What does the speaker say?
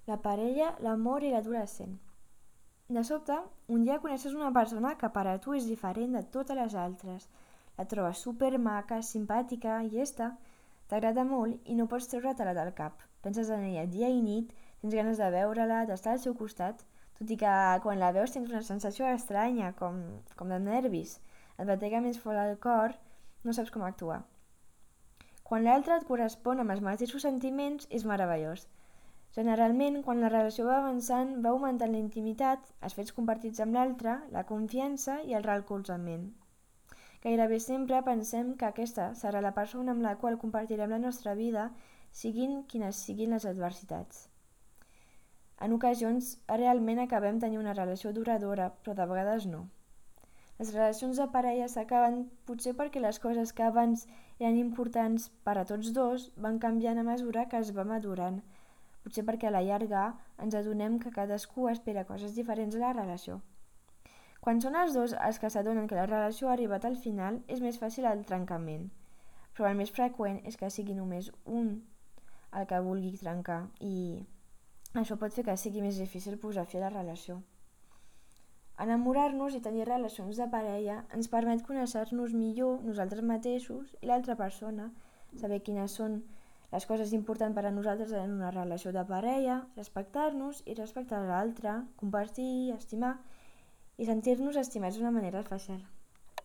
la parella, l'amor i l'adolescent. De sobte, un dia coneixes una persona que per a tu és diferent de totes les altres. La trobes supermaca, simpàtica, llesta, t'agrada molt i no pots treure-te-la del cap. Penses en ella dia i nit, tens ganes de veure-la, d'estar al seu costat, tot i que quan la veus tens una sensació estranya, com de nervis. Et batega més fort el cor, no saps com actuar. Quan l'altre et correspon amb els mateixos sentiments, és meravellós. Generalment, quan la relació va avançant, va augmentant la intimitat, els fets compartits amb l'altre, la confiança i el recolzament. Gairebé sempre pensem que aquesta serà la persona amb la qual compartirem la nostra vida, siguin quines siguin les adversitats. En ocasions, realment acabem tenint una relació duradora, però de vegades no. Les relacions de parella s'acaben potser perquè les coses que abans eren importants per a tots dos van canviant a mesura que es va madurant. Potser perquè a la llarga ens adonem que cadascú espera coses diferents a la relació. Quan són els dos els que s'adonen que la relació ha arribat al final, és més fàcil el trencament. Però el més freqüent és que sigui només un el que vulgui trencar i això pot fer que sigui més difícil posar fi a la relació. Enamorar-nos i tenir relacions de parella ens permet conèixer-nos millor nosaltres mateixos i l'altra persona, saber quines són les coses importants per a nosaltres en una relació de parella, respectar-nos i respectar l'altre, compartir, estimar i sentir-nos estimats d'una manera especial.